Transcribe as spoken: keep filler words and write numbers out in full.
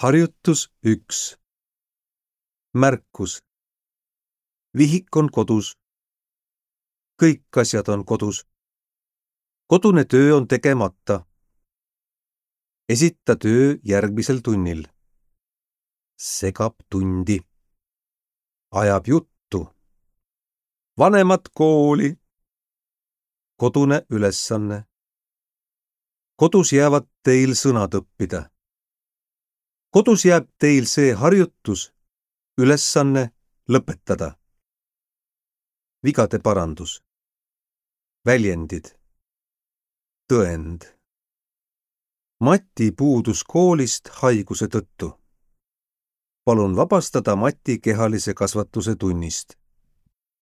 Harjutus üks. Märkus. Vihik on kodus. Kõik asjad on kodus. Kodune töö on tegemata. Esita töö järgmisel tunnil. Segab tundi. Ajab juttu. Vanemad kooli. Kodune ülesanne. Kodus jäävad teil sõnad õppida. Kodus jääb teil see harjutus, ülesanne lõpetada. Vigade parandus. Väljendid. Tõend. Mati puudus koolist haiguse tõttu. Palun vabastada Mati kehalise kasvatuse tunnist.